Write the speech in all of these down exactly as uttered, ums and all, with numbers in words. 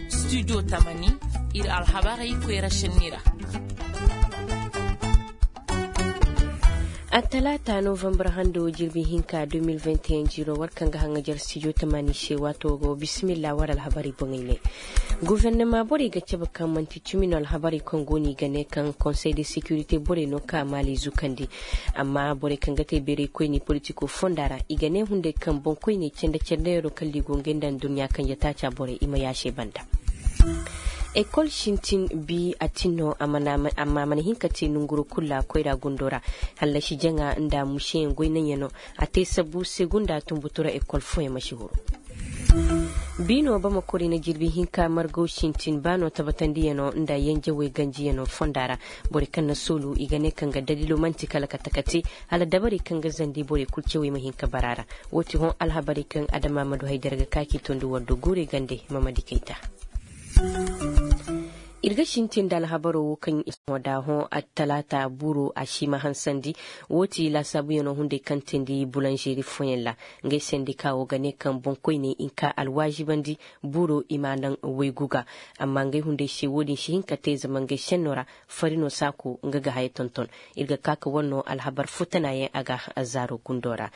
Studio tamani, ir alhabarey koyra šenni ra. Attalaata novambar hando jirbi hinka deux mille vingt et un jiiro war kaŋ ga haŋajar studio tamani se waato go bisimilla war alhabarey boŋey ne. Gofornama borey ga cabe kaŋ manti cimi no alhabarey kaŋ go no i ga ne kaŋ konsey de securité borey no ka maali zukandi. Amma borey kaŋ ga te beerey koyni politiko fonda ra i ga ne hunday kaŋ boŋkoyney cende cende yaro kala i go ngey nda nduɲɲa kaŋ ya taaca borey i ma yaasey banda. Ekol sintin bi a tin no amma a mana hin ka te nonguro kulu ra koyra gundo ra. Hallasi jaŋa nda museyaŋ goynaŋyaŋ no a te sabu segunda tunbutu ra ekol fooyaŋ ma si huru. Biino bamako ra i na jirbi hinka margaw sintin ba no tabatandiyaŋo nda yanjawey ganjiyaŋo fonda ra. Borey kaŋ na soolu i ga ne kaŋ ga daliilo man'ti kala kate kate hala dabarey kaŋ ga zandi borey kulu cawey ma hin ka bara ra. Woo ti hõ alhabarey kaŋ adama ma du haydara ga ka k'i tondi war do guurey gande. Mamadi kayta. Ir ga sintin nda alhabaro wo kaŋ i sohõ da hõ attalaata buuro a si ma hansandi. Woo ti laasaabuyaŋo hunday kaŋ teendi bulanzeeri fooyaŋ ra. Ngey sendika wo ga ne kaŋ boŋkoyney i nka alwaazibandi buuro i ma a naŋ waygu ga. Amma ngey hunday se wo-din si hin ka te zama ngey senno ra. Fari no saako nga ga haya tonton. Ir ga ka ka war no alhabar futanaayaŋ a ga zaaro gundo ra.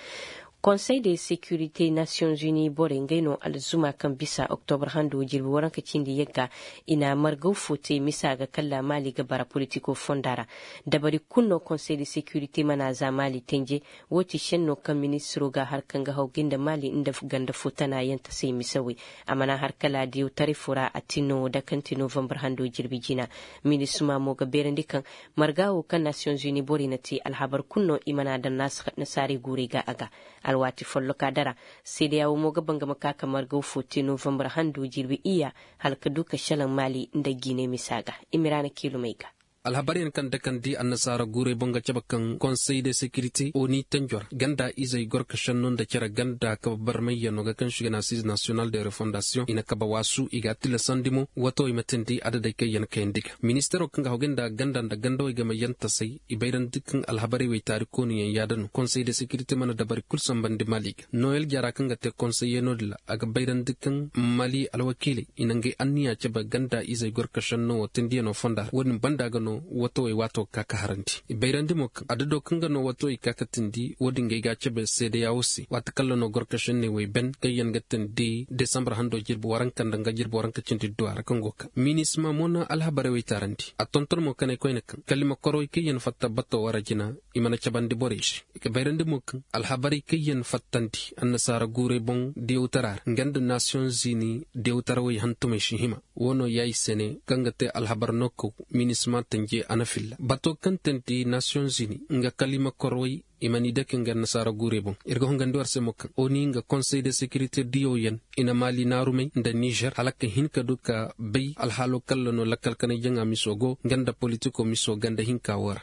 Konsey de securité nations unies borey ngey no alzuma kaŋ bisa oktobar hando jirbi waranka cindi yagga. I na margaw fo te misa ga kalla maali ga bara politiko fonda ra. Dabari kulu no konsey de securité mana za maali tenje. Woo ti senno kaŋ ministiro ga har kaŋ ga haw ga nda maali nda ganda fo tana yaŋ ta se misawey. A mana har kala diyawtaray fo ra a tin no wo dakanti novambar hando jirbi jina. Minisima mo ga beerandi kaŋ marga wo kaŋ nations unies borey na te alhabar kulu no i mana daŋ nasaarey guurey ga a ga. Alwaati folloka dara seedeya wo mo ga banga ma ka ka margaw fo te novambar hando jirbi iyya hala ka du ka šelaŋ maali nda giinay misa ga. Imiraana kiilumey ga. Alhabaryaŋ kaŋ dakandi annasaara guurey boŋ ga cabe kaŋ konsey de sekirite oni tanjo ra ganda izey gorka šenno nda cere ganda kabe barmayyaŋo ga kaŋ se i ga ne asiize nasiyonal de refondasiyoŋ i na kabe waasu i ga a tillasandi mo wato i ma teendi adadey kaŋ yaŋ kayandi ga. Ministeero kaŋ ga haw ga nda ganda nda gandawey game yaŋ tasay i bayrandi kaŋ alhabarey wey taari koonuyaŋ yaada no konsey de sekirite mana dabari kul sambandi maali ga noyel jara kaŋ ga te konsey yaŋo din ra a ga bayrandi kaŋ maali alwakiiley i na ngey anniya cabe ganda izey gorka šenno wo teendiyaŋo fonda ra wo-din banda ga no watowey waato ga ka ka harandi i bayrandi mo kaŋ adado kaŋ ga no watowey ka ka teendi wo-din ga ay ga a cabe seedeya wo se waati kalla no gorka šenney wey ben kaŋ yaŋ ga teendi desambar hando jirbi waranka nda nga jirbi waranka cindi duwa ra kaŋ go ka minisima mo na alhabarey wey taarandi a tonton mo kanay koyne kaŋ kala i ma korowey kaŋ yaŋ fatta bato wara jina i mana cabandi borey se i ga bayrandi mo kaŋ alhabarey kaŋ yaŋ fattandi annasaara guurey boŋ diyawtara ra nga nda nasiyoŋ zini diyawtarawey hantumey si hima wo no ya i se ne kaŋ ga te alhabar no kaw minisima tanje a na filla bato kaŋ teendi nasiyoŋ zini nga kala i ma korowey i ma ni dake nga annasaara guurey boŋ ir ga hongandi war se mo kaŋ oni nga konsey de sekirite diyaw yaŋ i na maali naarumey nda nizer hala ka hin ka du ka bay alhaalo kalla no lakkal kanay jaŋa miso go nga nda politiko miso ganda hinka wo ra.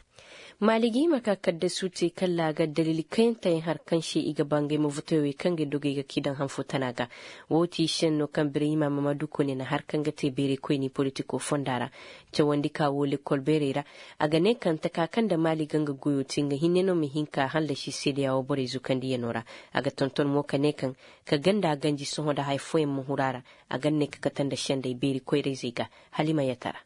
Maali ga hima ka kaddasu te kalla a ga daliili kayanteyaŋ har kaŋ se i ga ba ngey ma votoy wey kaŋ ga dogey ga k'i daŋ hanfo tana ga. Wo ti senno kaŋ birayima mamadu kone na har kaŋ ga te beeray koyni politiko fonda ra. Cawandi ka wo lekkol beerey ra a ga ne kaŋ taka kaŋ nda maali ga nga goyo te nga hinne no ma hin ka hallasi seedeya wo borey zukandiyano ra. A ga tonton mo ka ne kaŋ ka ganda ganji sohõ nda haya fooyaŋ ma huru a ra. A ga ne ka kate nda sendey beeri koyrayzey ga. Hala i ma yatara.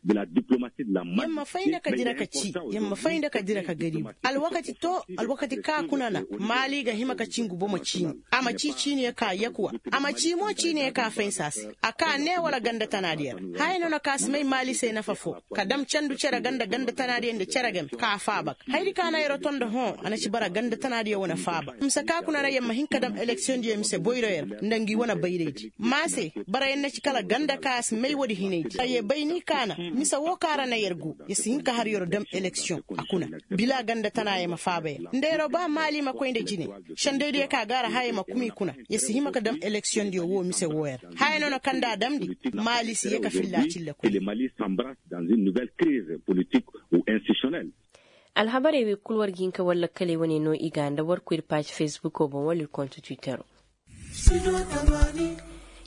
Yer ma fay nda ka dira ka ci yer ma fay nda ka dira ka garibu alwakati to alwakati ka kuna na maali ga hima ka cingu bomo ciini. A ma ci ciiniyo ka yakuwa a ma ci mo ciiniyo ka faysa se a ka ne wala ganda tanaadiyo ra. Haya no na ka si may maali se nafa fo ka dam candu cere ganda ganda tanaadiyo nda cere game ka faaba ga hayadi ka na yer oto nda hõ a na ci bara ganda tanaadiyo wane faaba mise ka kuna ra yer ma hin ka dam eleksiyoŋdiyo mise boyroyo ra nda ngi wane bayraydi. Ma se bara yer na ci kala ganda ka a si may woodi hinaydi ka ye bay ni kaana mise wo ka ra na yer go yer si hin ka har yer dam eleksiyoŋ. A kuna bila ganda tana yer ma faaba yer nda yer ba maali ma koy nda jine sendaydiyo ka gaara haya ma kuma i kuna yer si hima ka dam eleksiyoŋdiyo wo mise wo yer. Haya no na kaŋ nda a damndi maali si ye ka filla a cille koy. Alhabarey wey kul war ga hin ka war lakkaley wane no i ga nda war koy ir paazi fesbuko boŋ wala ir kontu twittero.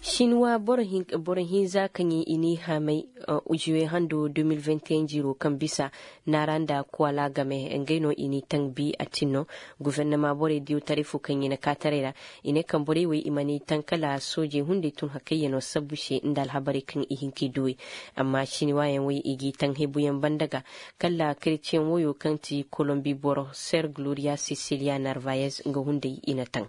Sinwa boro hinza kaŋ i n'i haamay, juwe hando de mil vingt et un jiiro kaŋ bisa naara nda kuwala game ngey no i n'i taŋ bi a tin no. Gufernama borey diyo taray fo kaŋ i na kaataray ra, i ne kaŋ borey wey i ma n'i taŋ kala soojey hunday tun hakayyanoo sabbu se nda alhabarey kaŋ i hin k'i duwey. Amma siniwaayaŋ wey i g'i taŋ hebuyaŋ banda ga, kala kereceyaŋ woyo kaŋ ti kolombi boro ser gloria sisiliya narvayez nga hunday i na taŋ.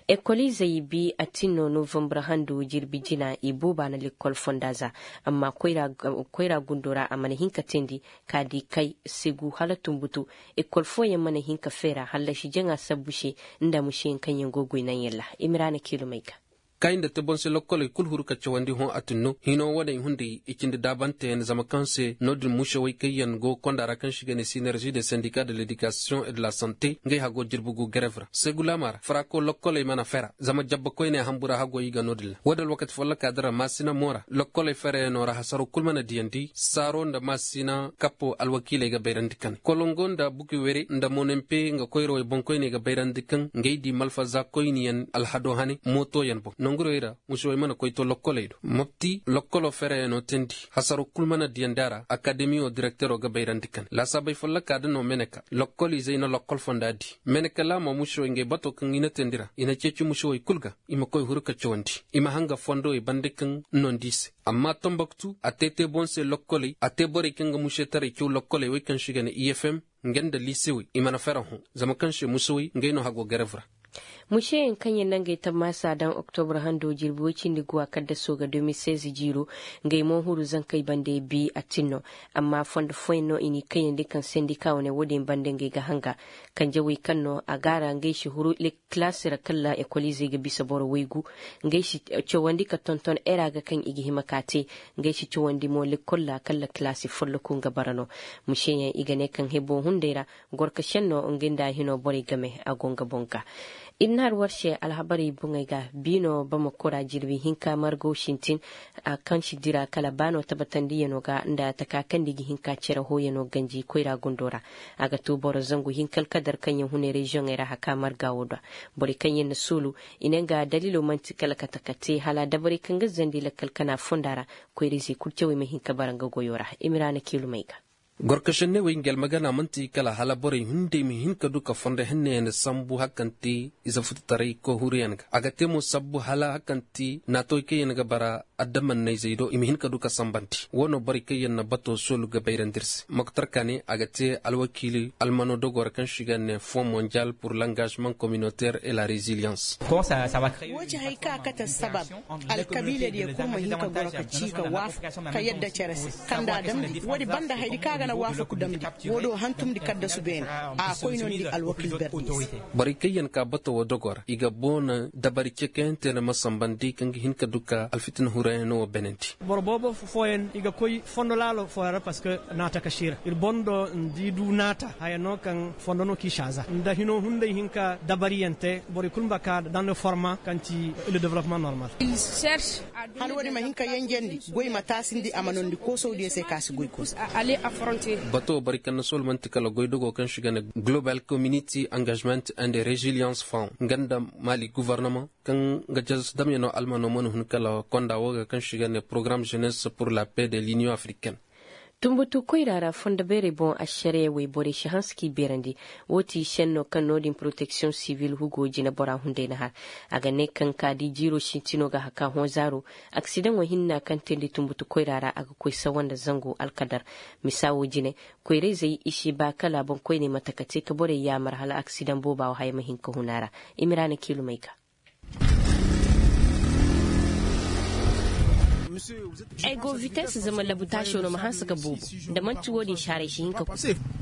Ekoliizey bi a tin no novambar handu jirbi jina i booba na lekkol fonda za. Amma koyra gundo ra a mana hin ka teendi, ka di kay, segu hala tumbutu. Ekol fooyaŋ mana hin ka feera hallasi jaŋa sabbu se, nda museyaŋ kaŋ yaŋ go goy naŋ yalla. Imiraana kiilumey ga. Kay nda te boŋ se lokkoley kul huru ka cawandi hõ a tun no hino wane hunday i cindi daabanteyaŋ zama kaŋ se no-din musewey kaŋ yaŋ go konda ra kaŋ se i ga ne sinerzi de sendika de ledikasiyoŋ e de la sante ngey hago jirbi gu gerev ra segulaama ra farako lokkoley mana fera zama jabba koyney hambu ra hago i ga no-din ra wo-din alwakati folloka din ra maasina mo ra lokkoley ferayaŋo ra hasaro kul mana diyandi saaro nda maasina kappo alwakiiley ga bayrandi kane kolongo nda buki were nda monempe nga koyrawey boŋkoyney ga bayrandi kaŋ ngey di malfaza koyniyaŋ alhado hane mootoyaŋ boŋ nongurey ra. Musuwey mana koy to lokkoley do mopti lokkolo fereyaŋo teendi hasaro kul mana diyandi a ra akademiyo direktero ga bayrandi kane laasaabey folloka da no meneka lokkol izey na lokkol fonda di meneka laamo musuwey ngey bato kaŋ i na teendi ra i na ceeci musuwey kul ga i ma koy huru ka cawandi i ma hanga fondowey bande kaŋ nondi i se. Amma tomboktu a te te boŋ se lokkoley a te borey kaŋ ga musetaray caw lokkoley wey kaŋ se i ga ne i f m nga nda liisewey i mana fera hõ zama kaŋ se musewey ngey no hago garev ra. Museyaŋ kaŋ yaŋ na ngey tammaasa daŋ oktobra hando jirbi woy cindi guwa kaddasoo ga de mil seize jiiro, ngey mo huru zankey bande bi a tin no. Amma fondo fooyaŋ no i n'i kayandi kaŋ sendika wane wo-din bande ngey ga hanga kanjawey kaŋ no a gaara ngey si huru kilaasi ra kala ekoliizey ga bisa boro waygu. Ngey si cawandi ka tonton era ga kaŋ i ga hima ka te. Ngey si cawandi mo lekkol ra kala kilaasi folloku nga bara no. Museyaŋ i ga ne kaŋ hebo hunday ra gorka senno nga nda a hino borey game a go nga boŋ ga. Ir na har war se alhabarey boŋey ga biino bamako ra jirbi hinka margo sintin. Kaŋ si dira kala baano tabatandiyano ga nda taka kaŋ da i ga hinka cere hooyano ganji koyra gundo ra. A ga to boro zangu hinka alkadar kaŋ yaŋ hune reziyoŋey ra haka marga wo do. Borey kaŋ yaŋ na suulu i ne nga daliilo man'ti kala kate kate hala dabarey kaŋ ga zandi lakkal kana fonda ra. Koyra-izey kul cawey ma hin ka bara nga goyo ra. Imiraana kiilumey ga. Gorkasenney wey nga almagana man'ti kala hala borey hunday ma hin ka du ka fondo henneyaŋ sambu hari kaŋ ti ize fututaray kohuriyaŋ ga a ga te mo sabbu hala hari kaŋ ti naatawey kaŋ yaŋ ga bara adamannayzey do i ma hin ka du ka sambandi. Wo no borey kaŋ yaŋ na bato soolu ga bayrandi ir se moktar kane a ga te alwakiili almano dogo ra kaŋ se i ga ne fond mondial pour l'engagement communautaire et la résilience. Wo ci hay ka kate sabab alkabiila diyo kul ma hin ka goro ka ci ka waafaku ka yadda cere se kaŋ nda a damndi woodi banda hayadi kaŋ a ga na waafaku damndi. Wo do hantumndi kaddasu beene a koy no ni di alwakiil berdi se. Borey kaŋ yaŋ ka bato wo dogo ra i ga boona dabari cekayante nda ma sambandi kaŋ ga hin ka du ka alfitina hurayano wo beenandi. Boro boobo fooyaŋ i ga koy fondo laalo fooyaŋ ra parceque naata ka siira ir boŋ do nda i du naata haya no kaŋ fondo no k'i saaza nda hino hunday hinka dabariyante borey kul ma ba ka daŋ nda forma kaŋ ti le developpement normal. Hala woodi ma hin ka yanjandi goy ma taasindi a ma noondi koosawdiyo se ka si goy koosa. Bato borey kaŋ na soolu man'ti kala goy dogo kaŋ se i ga ne global community engagement and resilience fund nga nda mali guvarnama kaŋ ga jazasu damyanoo almanoo mana hun kala konda woo ga kaŋ se i ga ne porogaram jeunesse pour la paix de l'union africaine. Tumbutu koyra ra fondo beerey boŋ ašariya wey borey si hanse k'i beerandi. Woo ti šennoo kaŋ no-din poroteksiyoŋ sivil hugo jineboraa hunday na har. A ga ne kaŋ ka di jiiroo sintinoo ga hakaa hõ zaaroo. Aksidaŋoo hinna kaŋ teendi tumbutu koyra ra a ga koy sawa nda zangu alkadar. Misa woo jine koyrayzey i si baa kala boŋkoyney mate ka te ka borey yaamar hala aksidaŋ boobaa woo haya ma hin ka hun a ra. Imiraana kiilumey ga. Ay go vites zama labutaasoo no ma hanse ka boobo. Nda man'ti woo-din si haray si hin ka ku.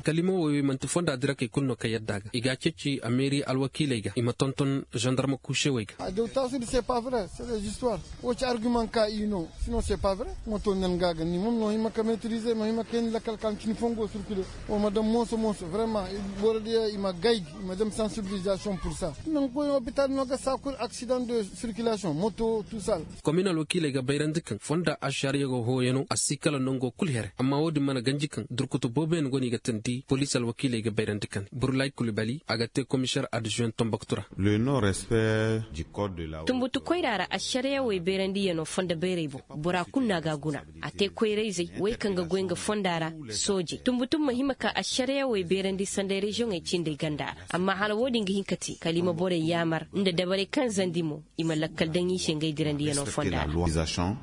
Kalima woy wey man'ti fonda dirakey kul no ka yadda a ga i g'a ceeci ameeri alwakiiley ga i ma tonton zandarma kuusewey ga. Adewtaasudi se pa vre se de zistuwar. Woo ci arguman ka i no. Sino se pa vre. Moto nen ga ga ni mom no hima ka metrize no hima ka yandi lakal ka ni cini fongo sirkule. Woo ma dam mooso mooso vrema. Borodiyo i ma gay gi i ma dam sansibilizasion pur sa. Nangu koy opital no ga saa kul aksidan de sirkulasion moto tusal. Komin alwakiiley ga bayrandi kaŋ fonda Ašariya go hooyano a si kala nongo kul here amma wo-din mana ganji kaŋ durkutu booboyaŋ go no i ga tandi poliisi alwakiiley ga bayrandi kane burlay kulibali a ga te komiseer adzuwen tomboktu ra. Tumbutu koyra ra ašariya wey bayrandiyano fondo bayray boŋ bora kulu no a ga a guna. A te koyra-izey wey kaŋ ga goy nga fonda ra. Soojey tumbutu ma hima ka ašariya wey bayrandi sanda reziyoŋey cindey ganda ra. Amma hala wo-din ga hin ka te kala i ma borey yaamar nda dabarey kaŋ zandi mo i ma lakkal daŋ i se ngey dirandiyano fonda ra.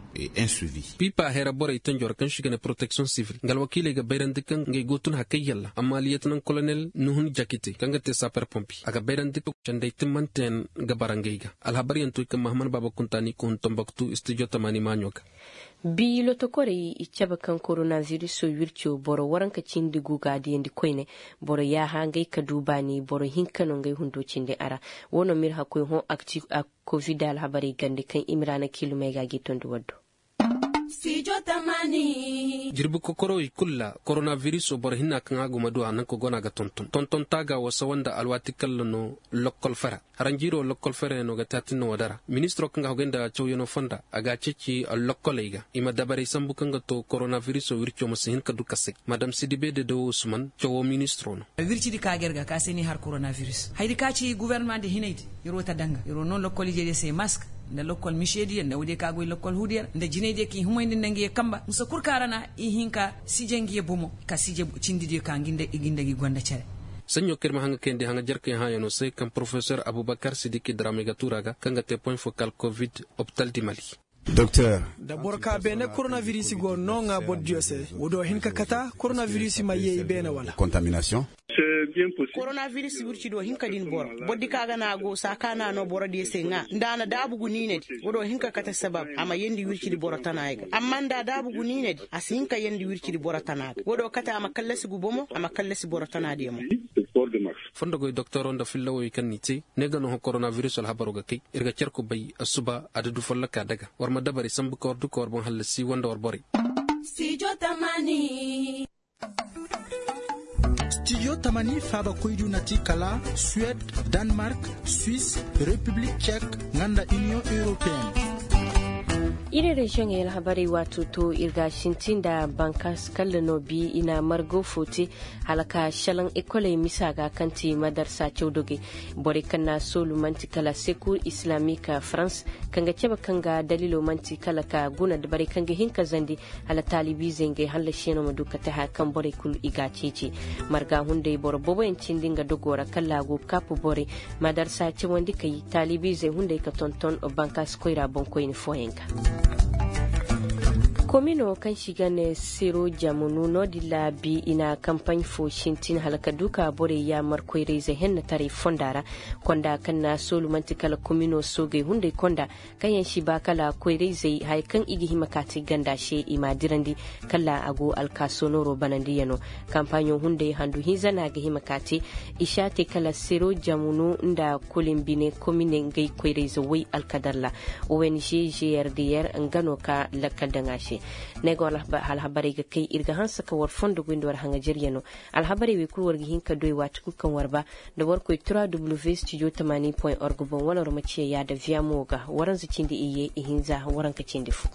Piipa hera borey tanjo ra kaŋ se i ga ne poroteksiyoŋ sivil nga alwakiiley ga bayrandi kaŋ ngey go tun hakay yalla amma liyetenaŋ kolonel nuhun jakite kaŋ ga te saper pompi a ga bayrandi kaŋ sendey timmanteyaŋ ga bara ngey ga. Alhabaryaŋ to i kaŋ mahaman baaba kuntaani ka hun tomboktu istijo tamaani maaɲo ga. Bi lotokorey i cabe kaŋ koronabiriso wirco boro waranka cindi gu ga a diyandi koyne. Boro yaaha ngey ka du baani boro hinka no ngey hundo cindi a ra. Wo no ma ir hakkoy hõ akti a kovid alhabarey gande kaŋ i ma ra na kiilumey ga a g'i tondi waddo. Jirbi kokorowey kul ra koronabiriso boro hinna kaŋ a go ma du a nanka go no a ga tonton tonton taaga wo sawa nda alwaati kalla no. Lokkol fera haranjiiro lokkol ferayaŋo ga te a tinna wo dara ministiro kaŋ ga hogay nda cawyano fonda a ga a ceeci lokkoley ga i ma dabarey sambu kaŋ ga to koronabiriso wirco ma si hin ka du kasay. Madam sidibe dedewo usman cawo ministiro no. Wircidi ka ga ir ga ka se ni har koronabiris hayadi ka ci gubernama nda hinaydi. Iro ta danga iro no lokkol ijediyo se mask nda lokkol misediyo nda woodiyo ka goy lokkol huudiyo ra nda jinaydiyo ka i humayndi nda ngiyo kamba musa kul ka ra na i hin ka sije ngiyo bomo ka sije cindidiyo ka ngi nda i gonda cere. Saɲɲo kaŋ ir ma haŋa kayandi haŋa jarkey hãayano se kaŋ porofesor abubakar sidiki dramey ga tuura ga kaŋ ga te poɲ fokal kovid opital di mali. Da boro ka beene koronabiris go no ŋaa borodiyo se. Woodiyo hin ka kata koronabiris ma yee i beene wala? Koronabiris wircidiyo hin ka din boro borodi ka ga no a go saakaana no borodiyo se ŋaa nda a na daabu gu niinadi. Woodiyo hin ka kata sabab a ma yeendi wircidi boro tana ga amma nda a daabu gu niinadi a si hin ka yeendi wircidi boro tana ga woodiyo kate a ma kallasi gu bomo a ma kallasi boro tana diyo mo. Fondogoy doktoroo nda fillawey kaŋ n'i te ne ga no hõ koronabiris alhabaroo ga kay. Ir ga cer ku bay asuba a da du folloka daga war ma dabarey sambu ka war du ka war boŋ hallasi wanda war borey. Stijo tamani faaba koydu na ti kala suwed, danmark, swis, repiblik cek, nga nda iniyoŋ europeen. Iri reziyoŋey alhabarey waato to ir ga a sinti nda bankaas kalla no bi i na margo fo te. Hala ka šelaŋ ekoley misa ga kaŋ ti madarsa cawdogey. Borey kaŋ na a soolu man'ti kala sekur islamik farans, kaŋ ga cabe kaŋ ga daliilo man'ti kala ka guna borey kaŋ ga hin ka zandi. Hala taalibiizey ngey hallasiyaŋo ma du ka te haya kaŋ borey kulu i ga a ceeci. Marga hunday boro booboyaŋ cindi nga dogoo ra kala a go kaapu borey. Madarsa cawandi kay taalibiizey hunday ka tonton bankaasi koyra boŋkoyni fooyaŋ ga. Komino kaŋ se i ga ne siro jamunu no- din ra bi i na kampaɲ fo sintin hala ka du ka borey yaamar koyrayzey hennetaray fonda ra. Konda kaŋ na a soolu man'ti kala komino soogey hunday konda. Kaŋ yaŋ si ba kala koyrayzey haya kaŋ i ga hima ka te ganda se i m'a dirandi. Kala a go alkaaso nooro banandiyaŋo. Kampaɲo hunday handu hinza no a ga hima ka te. I si a te kala sero jamunu nda kolimbine komine ngey koyrayze woy alkadar ra. Ong gr nga no ka lakkal daŋ a se. Ne go alhabarey ga kay ir ga hanse ka war fondo goy nda war haŋajeryaŋo. Alhabarey wey kul war ga hin ka doy waati kul kaŋ war ba. Nda war koy trois w studio tamaani point org boŋ wala war ma ciya yaada viamo ga waranza cindi iyye ihinza waranka cindi fo.